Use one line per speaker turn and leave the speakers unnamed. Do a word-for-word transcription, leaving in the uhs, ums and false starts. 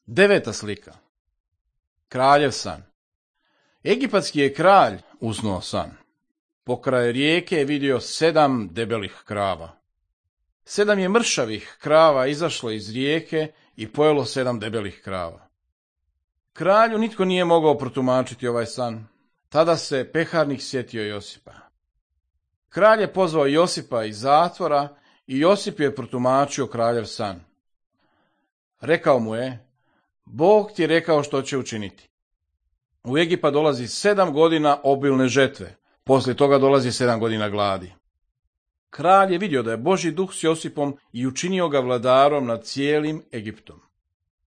Deveta slika. Kraljev san. Egipatski je kralj uznuo san. Pokraj rijeke je vidio sedam debelih krava. Sedam je mršavih krava izašlo iz rijeke i pojelo sedam debelih krava. Kralju nitko nije mogao protumačiti ovaj san. Tada se peharnik sjetio Josipa. Kralj je pozvao Josipa iz zatvora i Josip je protumačio kraljev san. Rekao mu je: Bog ti je rekao što će učiniti. U Egipat dolazi sedam godina obilne žetve, poslije toga dolazi sedam godina gladi. Kralj je vidio da je Božji duh s Josipom i učinio ga vladarom nad cijelim Egiptom.